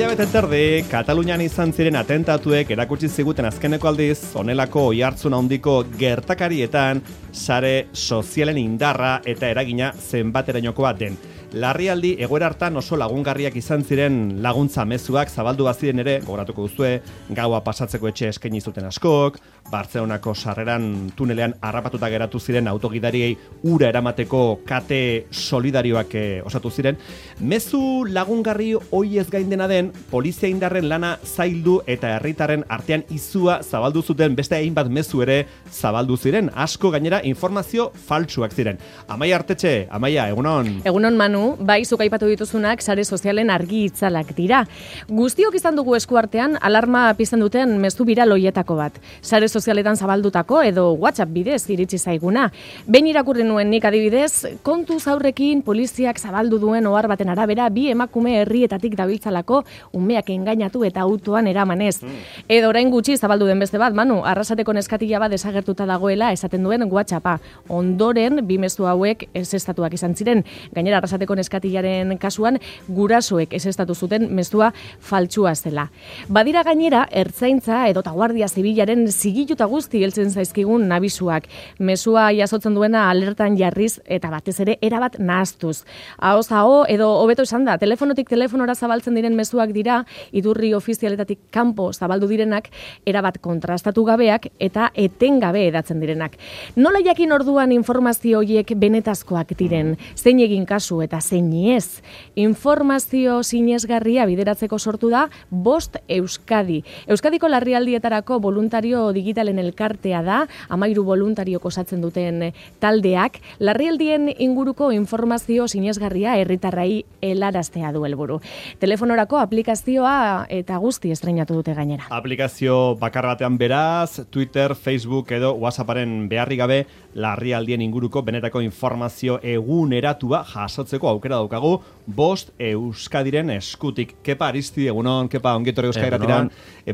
hilabete terdi, Katalunian izan ziren atentatuek erakutsi ziguten azkeneko aldiz, honelako oihartzun handiko gertakarietan, sare sozialen indarra eta eragina zenbaterainokoa den. Larrialdi egoera hartan oso lagungarriak izan ziren laguntza mezuak zabaldu baziren ere, gogoratuko duzue, gaua pasatzeko etxe eskaini zuten askok, Bartzelonako sarreran tunelean harrapatuta geratu ziren autogidariei ura eramateko kate solidarioak osatu ziren. Mezu lagungarri hoiez gain dena den, polizia indarren lana zaildu eta herritarren artean izua zabaldu zuten beste hainbat mezu ere zabaldu ziren. Asko gainera informazio faltsuak ziren. Amaia Artetxe, Amaia, egunon. Egunon Manu, bai zuk aipatu dituzunak sare sozialen argi itzalak dira. Guztiok izan dugu eskuartean alarma pizten duten mezu viral hoietako bat. Sare sozialetan zabaldutako edo WhatsApp bidez iritsi zaiguna. Behin irakurri nuen nik adibidez, kontuz aurrekin poliziak zabaldu duen ohar baten arabera bi emakume herrietatik dabiltzalako umeak engainatu eta autoan eramanez. Edo orain gutxi zabaldu den beste bat, Manu, Arrasateko neskatila bat desagertuta dagoela esaten duen WhatsAppa. Ondoren bi mezu hauek ezeztatuak izan ziren. Gainera Arrasateko neskatilaren kasuan gurasoek ezeztatu zuten mezua faltsua zela. Badira gainera ertzaintza edo Guardia Zibilaren zigiluta guzti heltzen zaizkigun nabisuak. Mezua jasotzen duena alertan jarriz eta batez ere erabat nahastuz. Ahoz aho edo hobeto esan da, telefonotik telefonora zabaltzen diren mezuak dira, idurri ofizialetatik kanpo zabaldu direnak, erabat kontrastatu gabeak eta etengabe edatzen direnak. Nola jakin orduan informazio horiek benetazkoak diren, zein egin kasu eta zein ez? Informazio sinesgarria bideratzeko sortu da Bost Euskadi. Euskadiko larrialdietarako voluntario digitalen elkartea da, 13 voluntariok osatzen duten taldeak, larrialdien inguruko informazio sinesgarria herritarrei helaraztea du helburu. Telefonorako aplikazioa eta guzti estreinatu dute gainera. Aplikazio bakar batean beraz, Twitter, Facebook edo WhatsApparen beharri gabe larrialdien inguruko benetako informazio eguneratua jasotzeko aukera daukagu Bost Euskadiren eskutik. Kepa Aristide, egunon, Kepa ongetorri Euskadira.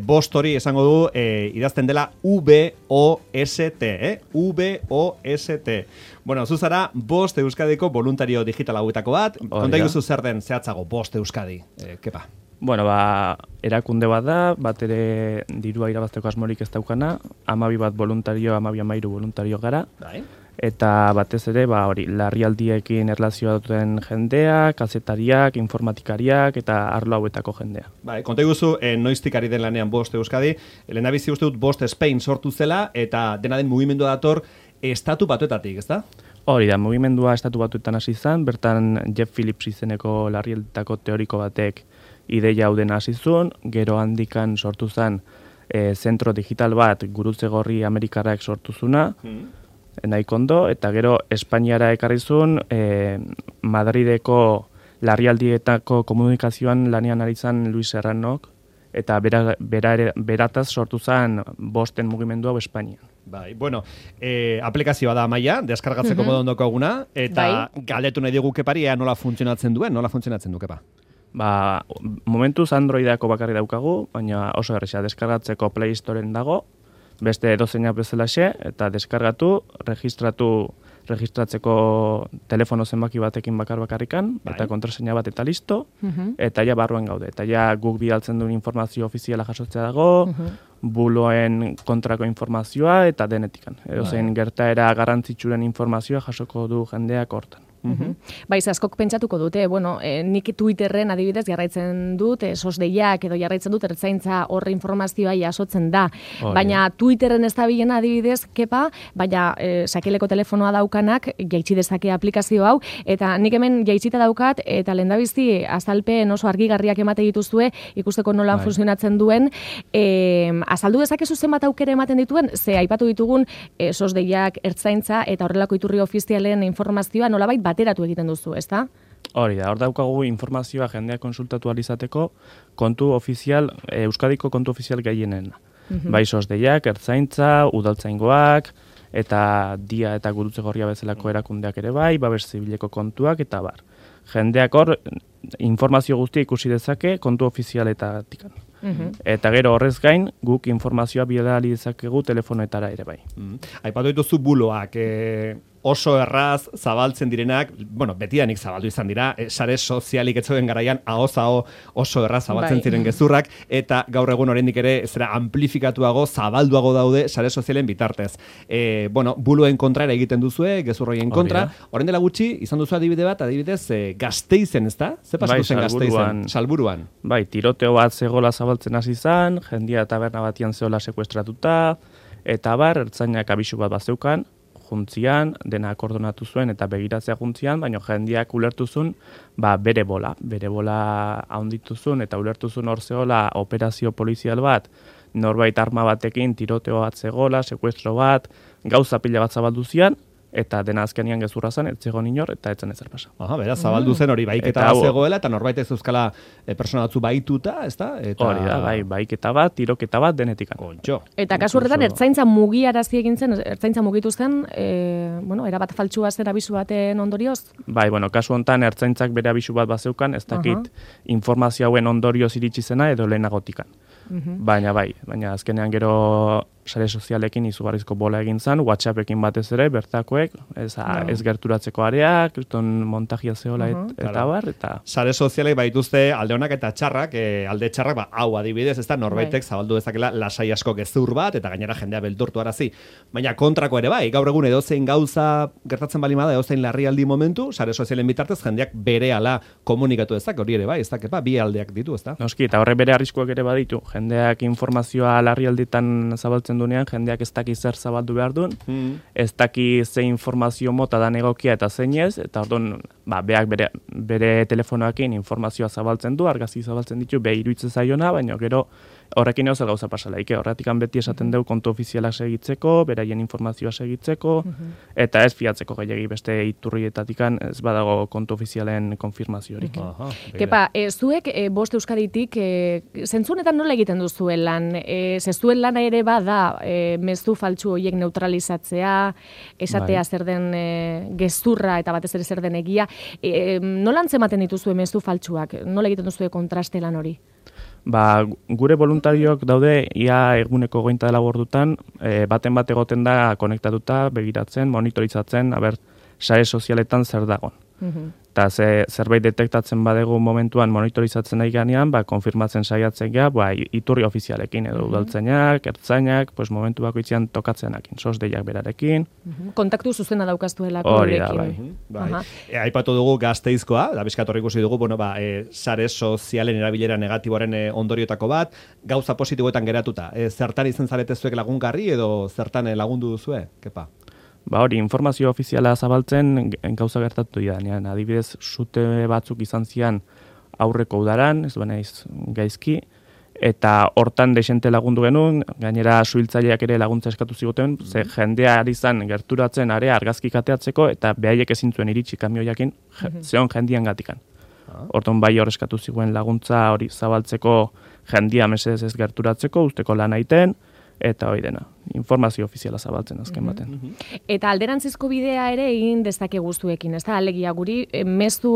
Bost hori esango du idazten dela V-O-S-T, V-O-S-T. Bueno, zuzara Bost Euskadiko voluntario digital hauetako bat. Konta iguzu zer den zehatzago Bost Euskadi, Kepa? Bueno, erakunde bat da, bat ere dirua irabazteko asmorik ez daukana, 12 bat voluntario, 12 voluntario gara. Bai. Eta batez ere, larrialdiekin erlazioa duten jendea, kazetariak, informatikariak eta arlo hauetako jendea. Bai, konta iguzu, noiztik ari den lanean Bost Euskadi, lehenabizi uste dut Bost Spain sortu zela, eta dena den mugimendua dator estatu batuetatik, ezta? Hori da, mugimendua estatu batuetan hasi izan, bertan Jeff Phillips izeneko larrialdetako teoriko batek ideia hau dena hasi zuen, gero handikan sortu zen zentro digital bat Gurutze Gorri Amerikarrak sortu zuna, nahiko ondo, eta gero Espainiara ekarri zuen, Madrideko larrialdietako komunikazioan lanean ari zan Luis Serranok, eta berataz sortu zen Bosten mugimendu hau Espainian. Bai, bueno, aplikazioa da Amaia, deskargatzeko modu ondoko eguna, eta galdetu nahi digu Kepari nola funtzionatzen du, Kepa? Momentuz Androidako bakarri daukagu, baina oso erresa deskargatzeko Play Storeen dago, beste edozeinak bezalaxe, eta deskargatu, registratzeko telefono zenbaki batekin bakarrikan, eta kontraseina bat eta listo, eta ja barruan gaude. Eta ja guk bidaltzen duen informazio ofiziala jasotzea dago, buloen kontrako informazioa eta denetikan. Edozein gertaera garrantzitsuren informazioa jasoko du jendeak hortan. Bai, askok pentsatuko dute, nik Twitterren adibidez jarraitzen dut, sosdeiak edo jarraitzen dut ertzaintza horre informazioa jasotzen da. Baina Twitterren ez da bilena adibidez, Kepa, baina sakeleko telefonoa daukanak jaitsi dezake aplikazio hau, eta nik hemen jaitsita daukat, eta lehendabizi azalpen oso argigarriak emate dituzue, ikusteko nolan funtzionatzen duen, azaldu dezakezu zenbat aukera ematen dituen, ze aipatu ditugun sosdeiak, ertzaintza eta horrelako iturri ofizialen informazioa nolabait bateratu egiten duzu, ezta? Hori da, hor daukagu informazioa jendeak konsultatu alizateko kontu ofizial, Euskadiko kontu ofizial gehienen. Bai sosdeiak, ertzaintza, udaltzaingoak, eta dia eta Gurutze Gorria bezalako erakundeak ere bai, babes zibileko kontuak, eta bar. Jendeak hor informazio guztia ikusi dezake kontu ofizialetatik. Eta gero horrez gain, guk informazioa bidali dezakegu telefonetara ere bai. Aipatu dituzu buloak, oso erraz zabaltzen direnak, bueno, betidanik zabaldu izan dira, sare sozialik etzoen garaian ahoz-aho oso erraz zabaltzen ziren gezurrak, eta gaur egun oraindik ere zera amplifikatuago, zabalduago daude sare sozialen bitartez. Bueno, buluen kontra ere egiten duzue, gezur horien kontra. Orain dela gutxi, izan duzu adibidez, Gasteizen, ezta? Ze pasatu zen Gasteizen? Salburuan. Bai, tiroteo bat zegola zabaltzen hasi izan, jendia taberna batian zegola sekuestratuta, eta ertzainak abisu bat bazeukan, juntzian, dena akordonatu zuen eta begiratzea juntzian, baina jendiak ulertuzun, bere bola haundituzun eta ulertuzun hor zegoela operazio polizial bat, norbait arma batekin, tiroteo bat zegoela, sekuestro bat, gauza pila bat zabaldu zian, eta dena azkenean gezurra zen, ez zegoen inor, eta etzen ezer pasa. Beraz, zabaldu zen hori baiketa bat zegoela, eta norbait ez euskala persona batzu baituta, ezta? Hori da, baiketa bat, tiroketa bat, denetikan. Eta kasu horretan, ertzaintza mugiarazi egin zen, ertzaintza mugitu zen, erabat faltsua zen abisu baten ondorioz? Bai, kasu honetan, ertzaintzak bere abisu bat bazeukan, ez dakit informazio hauen ondorioz iritsi zena edo lehenagotikan. Baina azkenean gero sare sozialekin izugarrizko bola egin zen, WhatsAppekin batez ere, bertakoek, ez gerturatzeko areak, montajia zehola eta bar, eta... Sare sozialek baituzte alde honak eta txarrak, alde txarrak, hau adibidez, ez da norbaitek zabaldu dezakela lasai asko gezur bat, eta gainera jendea beldurtu arazi. Baina kontrako ere bai, gaur egun edozein gauza gertatzen bali bada, edozein larrialdi momentu, sare sozialen bitartez jendeak berehala komunikatu ezak, hori ere bai, ez da, bi aldeak ditu, ez da? Noski, eta horre bere arriskuak ere baditu, jendeak informazioa larrialditan zabaltzen duenean, jendeak ez daki zer zabaldu behar duen, ez daki ze informazio mota da egokia eta zein ez, eta orduan, beak bere telefonoakin informazioa zabaltzen du, argazki zabaltzen ditu, iruditzen zaiona, baina gero horrekin eozer gauza pasalaike, horretikan beti esaten dugu kontu ofizialak segitzeko, beraien informazioa segitzeko, eta ez fiatzeko gehiagi beste iturrietatikan ez badago kontu ofizialen konfirmaziorik. Kepa, zuek Bost Euskaditik, zentzunetan nola egiten duzuen lan? Zezuen lana ere bada, mezu faltsu horiek neutralizatzea, esatea zer den gezurra eta batez ere zer den egia. Nola antzematen dituzue mezu faltsuak? Nola egiten duzue kontraste lan hori? Gure voluntariok daude ia eguneko 24 ordutan, baten bat egoten da konektatuta, begiratzen, monitorizatzen, sare sozialetan zer dagon. Eta zerbait detektatzen badegu momentuan monitorizatzen nahi ganean, konfirmatzen saiatzen gea, iturri ofizialekin edo udaltzainak, ertzainak, momentu bakoitzean tokatzenakin, sosdeiak berarekin. Kontaktu zuzena daukaztuelako horrekin. Bai. Aipatu dugu Gasteizkoa, da bizkatorri ikusi dugu, sare sozialen erabilera negatiboaren ondoriotako bat, gauza positiboetan geratuta. Zertan izen zarete zuek lagungarri edo zertan lagundu duzue? Kepa? Hori, informazio ofiziala zabaltzen gauza gertatu dira. Adibidez, sute batzuk izan zian aurreko udaran, ez duena gaizki, eta hortan desente lagundu genuen, gainera suhiltzaileak ere laguntza eskatu ziguten, ze jendea ari zan gerturatzen area argazki kateatzeko, eta behaiek ezin zuen iritsi kamioiakin, zeon jendian gatikan. Horton bai hor eskatu ziguen laguntza hori zabaltzeko jendia mesedez ez gerturatzeko, usteko lan aiten, eta hori dena, informazio ofiziala zabaltzen azken baten. Eta alderantzizko bidea ere egin dezake guztuekin, ez da, alegia guri, mezu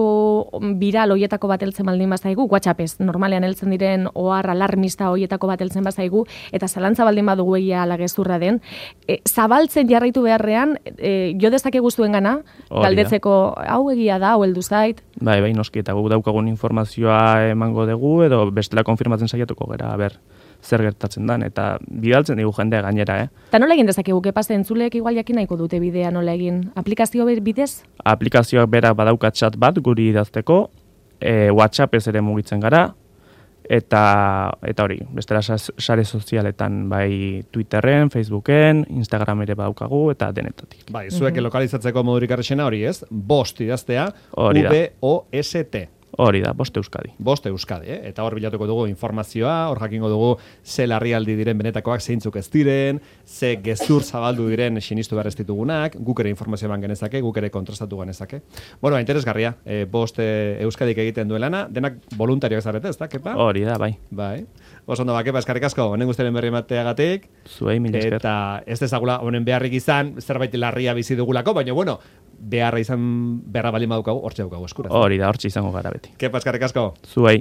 viral hoietako bat heltzen baldin bazaigu, WhatsAppez, normalean heltzen diren ohar alarmista hoietako bat heltzen bazaigu, eta zalantza baldin badugu egia ala gezurra den, zabaltzen jarraitu beharrean, jo dezake guztuen gana, galdetzeko, hau egia da, hau heldu zait. Bai, noski, eta gu daukagun informazioa emango dugu, edo bestela konfirmatzen saiatuko gara, zer gertatzen dan, eta bidaltzen digu jendea gainera, Eta nola egin dezakegu, kepazte entzuleek igual jakin nahiko dute bidea nola egin? Aplikazio bidez? Aplikazioak berak badauka chat bat guri idazteko, WhatsApp ez ere mugitzen gara, eta hori, bestela sare sozialetan, bai Twitterren, Facebooken, Instagram ere badaukagu, eta denetatik. Bai, zuek lokalizatzeko modurik arrexena hori ez, Bost idaztea, V-O-S-T. Hori da, Bost Euskadi. Bost Euskadi, eta hor bilatuko dugu informazioa, hor jakingo dugu ze larrialdi diren benetakoak zeintzuk ez diren, ze gezur zabaldu diren sinistu behar ez ditugunak, guk ere informazio eman genezake, guk ere kontrastatu genezake. Bueno, interesgarria, Bost Euskadik egiten duen lana, denak voluntarioak zarete, ez da, Kepa? Hori da, bai. Bai. Oso ondo, Kepa, eskarrik asko, honen guztiaren berri emateagatik. Zuei, mil esker. Eta ez dezagula honen beharrik izan, zerbait larria bizi dugulako, baina bueno, beharra baldin badukagu, hortxe daukagu eskura. Hori da, hortxe izango gara beti. Kepa, eskarrik asko. Zuei.